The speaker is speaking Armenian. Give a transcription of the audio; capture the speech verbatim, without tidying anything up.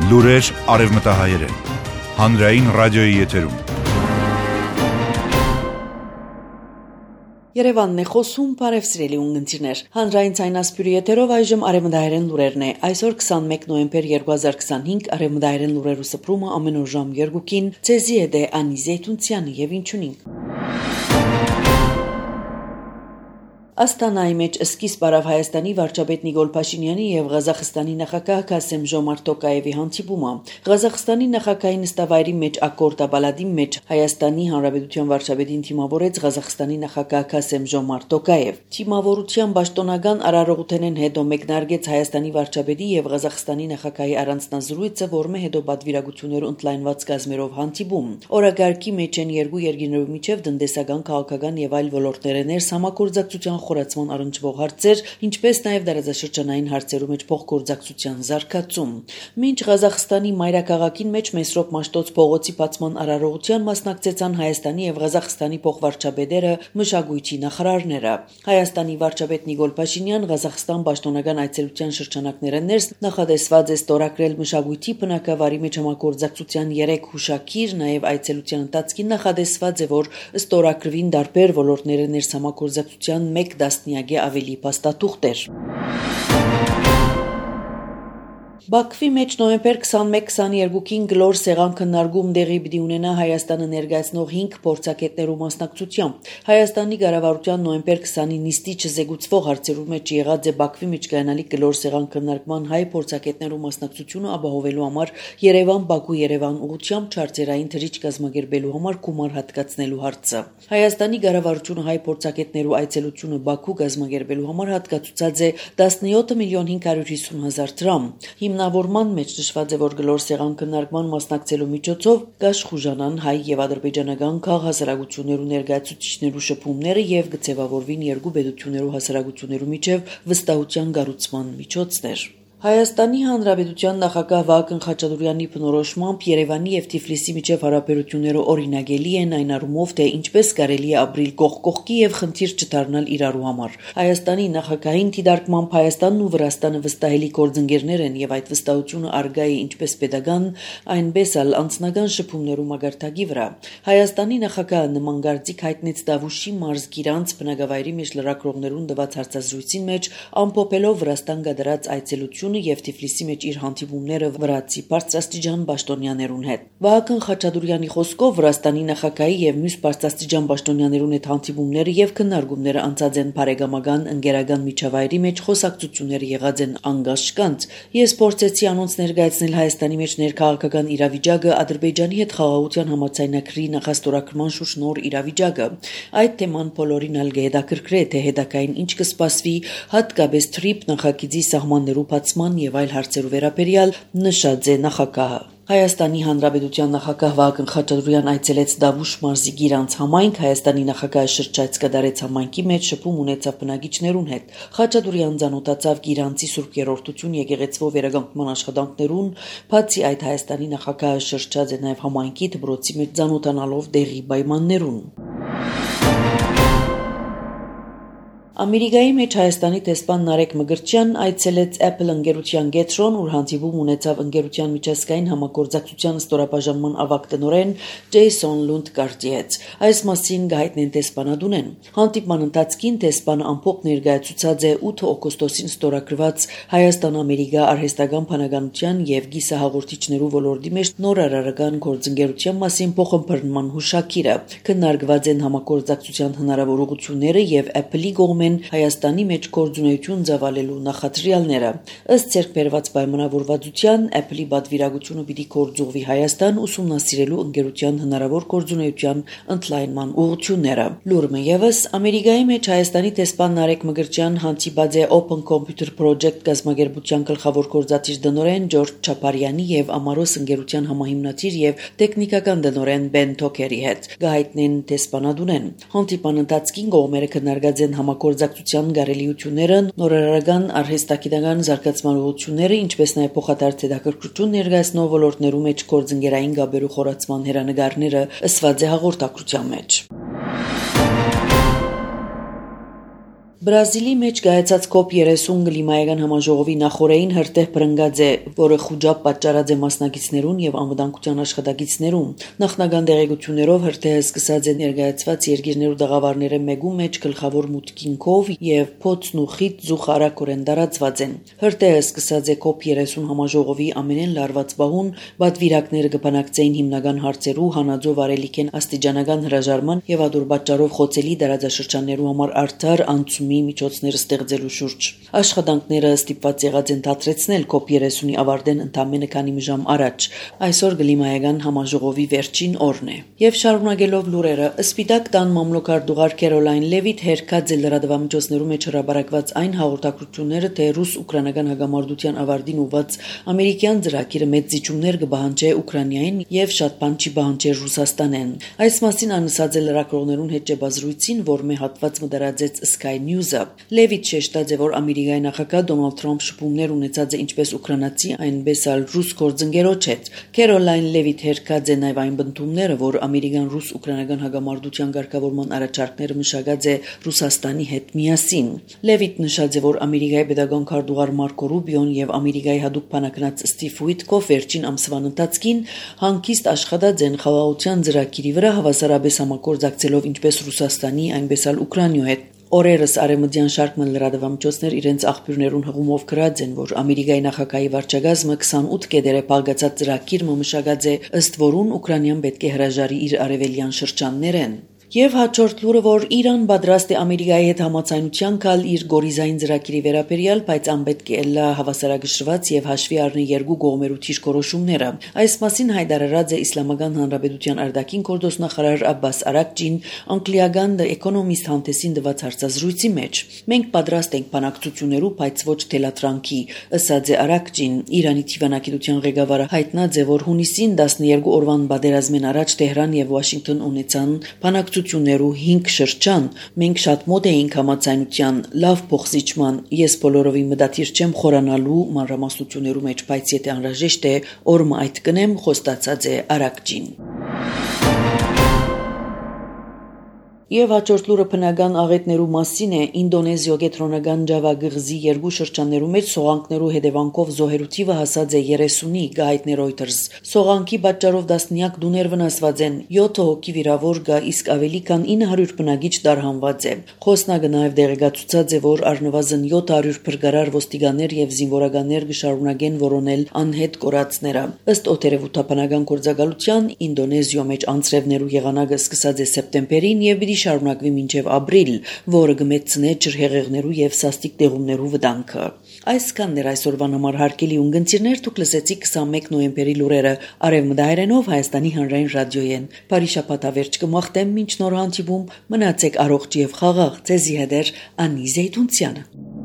Լուրեր արևմտահայերեն, հանրային ռադիոյի եթերում։ Երևանն է խոսում, բարև սիրելի ունգընտիրներ։ Հանրային ցայնասպյուրի եթերով այժմ արևմտահայերեն լուրերն է։ Այսօր քսանմեկ նոյեմբեր երկու հազար քսանհինգ արևմտահայերեն լուրերու սփռումը ամեն օր ժամ երկուքին ցեզի է դե Անի Զեյթունցյանի եւ ինչունին։ Աստանայի մեջ սկիզբ առավ Հայաստանի վարչապետ Նիկոլ Փաշինյանի եւ Ղազախստանի նախագահ Քասեմ-Ժոմարթ Տոկաևի հանդիպումը։ Ղազախստանի նախագահի նստավայրի մեջ ակորդ աբալադի մեջ Հայաստանի Հանրապետության վարչապետին թիմավորեց Ղազախստանի նախագահ Քասեմ-Ժոմարթ Տոկաև։ Թիմավորության պաշտոնական արարողութենեն հետո մեկնարկեց Հայաստանի վարչապետի եւ Ղազախստանի նախագահի առանձնազրույցը, որը հետո պատվիրակություններով ընդլայնված կազմերով հանդիպում։ Օրագարկի մեջ են երկու երկիներով միջև տնտեսական, քաղաքական եւ այլ ոլորտներն էր համագործակցության խորացման առնչվող հարցեր, ինչպես նաև դարաշրջանային հարցերու մեջ փոխգործակցության զարգացում։ Մինչ Ղազախստանի մայրաքաղաքին մեջ Մեսրոպ Մաշտոց փողոցի բացման արարողության մասնակցեցան Հայաստանի եւ Ղազախստանի փոխվարչապետերը, մշակույթի նախարարները։ Հայաստանի վարչապետ Նիկոլ Փաշինյան Ղազախստան պաշտոնական այցելության շրջանակներն ներս նախադեсված է ստորագրել մշակույթի բնակավարի մեջ համագործակցության երեք հուշագիր, նաև այցելության ընթացքին նախադեсված է, որ ստորագրվին տարբեր ոլորտներն ներս համագործակցության մեկ դասնյակի ավելի փաստաթուղթեր։ Բաքվի մեջ նոյեմբեր քսանմեկ քսաներկուին գլոր սեղան քննարկում տեղի պիտի ունենա Հայաստանը ներկայացնող հինգ փորձագետներու մասնակցությամբ։ Հայաստանի կառավարության նոյեմբեր քսանի նիստի չզեկուցվող հարցերու մեջ եղած է Բաքվի մեջ կայանալիք գլոր սեղան քննարկման հայ փորձագետներու մասնակցությունը ապահովելու համար Երևան-Բաքու-Երևան ուղղությամբ չարտերային թռիչ կազմակերպելու համար գումար հատկացնելու հարցը։ Հայաստանի կառավարությունը հայ փորձագետներու այցելությունը Բաքու կազմակերպելու համար հատկացուցած է տասնյոթ միլիոն հինգ հարյուր հիսուն հազար դրամ։ Հիմնավորման մեջ նշված է, որ գլոր սեղան քննարկման մասնակցելու միջոցով կաշխուժանան հայ եւ ադրբեջանական քաղաքահասարակություններու ներկայացուցիչներու շփումները եւ կձևավորվին երկու պետություններու հասարակություններու միջև վստահության կառուցման միջոցներ։ Հայաստանի Հանրապետության նախագահ Վահագն Խաչատուրեանի բնորոշմամբ Երևանի եւ Թիֆլիսի միջև հարաբերությունները օրինագելի են այն առումով, թե ինչպես կարելի է ապրել կողք կողքի եւ խնդիր չդառնալ իրարու համար։ Հայաստանի նախագահին դիտարկմամբ Հայաստանն ու Վրաստանը վստահելի գործընկերներ են եւ այդ վստահությունը արգա է ինչպես pedagogan, այնպես էլ անձնական շփումներու մագարտակի վրա։ Հայաստանի նախագահը նման գործիք հայտնեց Դավուշի մարզգիրանց բնակավայրի մեջ լրագրողներուն տված հարցազրույցին մեջ ամփոփելով Վրաստան կատարած այցելությունը եւ Թիֆլիսի մեջ իր հանդիպումները վրացի բարձրաստիճան պաշտոնյաներուն հետ։ Վահագն Խաչատուրեանի խոսքով Վրաստանի նախագահի եւ մյուս բարձրաստիճան պաշտոնյաներուն հետ հանդիպումները եւ քննարկումները անցած են բարեկամական ընկերական միջավայրի մեջ խոսակցությունները եղած են անգաշկանց։ Ես փորձեցի անոնց ներկայացնել Հայաստանի մեջ ներքաղաքական իրավիճակը, Ադրբեջանի հետ խաղաղության համաձայնագրի նախաստորագրման շուրջ նոր իրավիճակը։ Այդ թեման բոլորին ալ կհետաքրքրե, թե հետագային ինչ կսպասվի, հատկապես թրիփ նախագիծի սահմաններու բացման եւ այլ հարցերու վերաբերյալ նշած է նախագահը։ Հայաստանի Հանրապետության նախագահ Վահագն Խաչատուրեան այցելեց Դավուշ մարզի Գիրանց համայնք, Հայաստանի նախագահը շրջայց կդարեց համայնքի մեջ շփում ունեցավ բնակիչներուն հետ։ Խաչատուրեան ծանոթացավ Գիրանցի Սուրբ Երրորդություն եկեղեցվո վերականգնման աշխատանքներուն, բացի այդ Հայաստանի նախագահը շրջած է նաև համայնքի դպրոցի մեջ ծանոթանալով դեղի պայմաններուն։ Ամերիկայի մեջ Հայաստանի տեսփան Նարեկ Մկրտչյան այցելեց Apple ընկերության Գետրոն, ուր հանդիպում ունեցավ ընկերության միջազգային համագործակցության ստորաբաժանման ավագ տնօրեն Ջեյսոն Լունդգարտի հետ։ Այս մասին գայտնեն տեսփանադունեն։ Հանդիպման ընթացքին տեսփանը ամփոփ ներկայացուցած է ութ օգոստոսին ստորագրված Հայաստան-Ամերիկա արհեստական բանականության եւ գիսահաղորդիչներու ոլորտի մեջ նոր արարական գործընկերության մասին փոխըմբռնման հուշագիրը։ Քննարկված են համագործակցության հնարավորությունները եւ Apple-ի կողմէն Հայաստանի մեջ գործունեություն ծավալելու նախադրյալները։ Ըստ ցերկբերված պայմանավորվածության Apple-ի պատվիրակությունը պիտի գործուղվի Հայաստան ուսումնասիրելու ընկերության հնարավոր գործունեության ընդլայնման ուղղությունները։ Լուրը եւս Ամերիկայի մեջ Հայաստանի տեսփան Նարեկ Մկրտչյան հանդիպած է Open Computer Project կազմակերպության գլխավոր գործադիր տնօրեն Ջորջ Չապարյանի եւ Ամարոս ընկերության համահիմնադիր եւ տեխնիկական տնօրեն Բեն Թոքերի հետ։ Գայտնեն տեսփանադունեն։ Հանդիպան ընթացքին կողմերը քննարկած են համագործակցության գարելիությունները, նորարարական արհեստագիտական զարգացման ուղղությունները, ինչպես նաև փոխադարձ հետաքրքրություն ներկայացնող ոլորտներու մեջ գործընկերային գաբերու խորացման հերանեկարները ըսված է հաղորդակցության մեջ։ Բրազիլի մեջ գայացած կոպ երեսուն կլիմայական համաժողովի նախօրեին հրտեհ բրնգած է, որը խուճապ պատճառած է մասնակիցներուն եւ անվտանգության աշխատակիցներուն։ Նախնական դեղեցություններով հրտեհը սկսած է ներկայացված երկիրներու դաղավարները մեկու մեջ գլխավոր մուտքինքով եւ փոցն ու խիտ զուխարակորեն դարածված են։ Հրտեհը սկսած է կոպ երեսուն համաժողովի ամենեն լարված բահուն, բադվիրակները կբանակցեին հիմնական հարցերու հանածով արելիքեն աստիճանական հրաժարման եւ ադոր պատճառով խոցելի դարաձաշրջաններու համար արդար անցումի միջոցները ստեղծելու շուրջ։ Աշխատանքները ստիպված եղած են դադրեցնել կոպ երեսունի ավարտեն ընդամենը քանի ժամ առաջ։ Այսօր կլիմայական համաժողովի վերջին օրն է։ Եվ շարունակելով լուրերը, Սպիտակ տան մամլոքարտուղար Քերոլայն Լևիթ հերքած է լրատվամիջոցներու մեջ հրաբարակված այն հաղորդակցությունները, թե ռուս-ուկրաինական հագամարտության ավարտին ուված ամերիկյան ծրագիրը մեծ զիջումներ կբահանջի Ուկրաինային եւ շատ բան չի բահանջեր Ռուսաստանեն։ Այս մասին անսած է լրագրողներուն հետ ճեպազրույցին, որ մե հատված մդրածեց Sky News-ը։ Լևիթ շեշտած է, որ Ամերիկայի նախագահ Դոնալդ Թրամփ շփումներ ունեցած է ինչպես ուկրաինացի, այնպես էլ ռուս գործընկերոջ հետ։ Քերոլայն Լևիթ հերքած է նաև այն բնդումները, որ ամերիկան ռուս-ուկրաինական հագամարտության ղեկավարման առաջարկները մշակած է Ռուսաստանի հետ միասին։ Լևիթ նշած է, որ Ամերիկայի պետական քարտուղար Մարկո Ռուբիոն եւ Ամերիկայի հատուկ բանակնած Ստիվ Ուիտկոֆ վերջին ամսվան ընթացքին հանգիստ աշխատած են խաղաղության ծրագիրի վրա հավասարապես համագործակցելով ինչպես Ռուսաստանի, այնպես էլ Ուկրաինայի հետ։ Օրերս արևմտյան շարք մն լրատվամիջոցներ իրենց աղբյուրներուն հղումով գրած են, որ Ամերիկայի նախագահի վարչագազմը քսանութ կետեր է փակած ծրագիր մշակած է, ըստ որուն Ուկրաինան պետք է հրաժարի իր արևելյան շրջաններեն։ Եվ հաջորդ լուրը, որ Իրան պատրաստ է Ամերիկայի հետ համաձայնության գալ իր գորիզային ծրագիրի վերաբերյալ, բայց անպետք է լա հավասարակշռված եւ հաշվի առնի երկու կողմերու թիրքորոշումները։ Այս մասին հայտարարած է Իսլամական Հանրապետության արտաքին գործոստնախարար Աբբաս Արաքջին անգլիական The Economist հանդեսին տված հարցազրույցի մեջ։ Մենք պատրաստ ենք բանակցություններու, բայց ոչ թելատրանքի, ըսած է Արաքջին։ Իրանի թիվանակիտության ղեկավարը հայտնած է, որ հունիսին տասներկու օրվան պատերազմեն առաջ Թեհրան եւ Վաշինգտոն ունեցան բանակցություններու հինգ շրջան։ Մենք շատ մոտ էինք համաձայնության, լավ փոխզիջման։ Ես բոլորովի մտադիր չեմ խորանալու մանրամասնություններու մեջ, բայց եթե անհրաժեշտ է, օրը այդ կնեմ, խոստացած է Արաքջին։ Եվ հաջորդ լուրը բնական աղետներու մասին է։ Ինդոնեզիո կենտրոնական Ջավա գղզի երկու շրջաններու մեջ սողանքներու հետևանքով զոհերու թիվը հասած է երեսունի, գայթներ Reuters։ Սողանքի պատճառով տասնյակ դուներ վնասված են, յոթ հոգի վիրավոր կա, իսկ ավելի քան ինը հարյուր բնակիչ դարհանված է։ Խոսնակը նաև դեղեկացուցած է, որ առնվազն յոթ հարյուր փրկարար ոստիկաններ եւ զինվորականներ կշարունակեն որոնել անհետ կորածները։ Ըստ օթերևութաբանական գործակալության Ինդոնեզիո մեջ անձրևներու եղանակը սկսած է սեպտեմբերին եւ շարունակվի մինչև ապրիլ, որը կմեծնե ջրհեղեղներու եւ սաստիկ տեղումներու վտանգը։ Այսքանն էր այսօրվան համար հարգելի ունգընտիրներ, դուք լսեցիք քսանմեկ նոյեմբերի լուրերը Արևմտահայերենով Հայաստանի հանրային ռադիոյեն։ Բարի շաբաթ ավերջ կմաղթեմ, մինչ նոր հանդիպում, մնացեք առողջ եւ խաղաղ, ձեզի հետ Անի Զեյթունցյանը։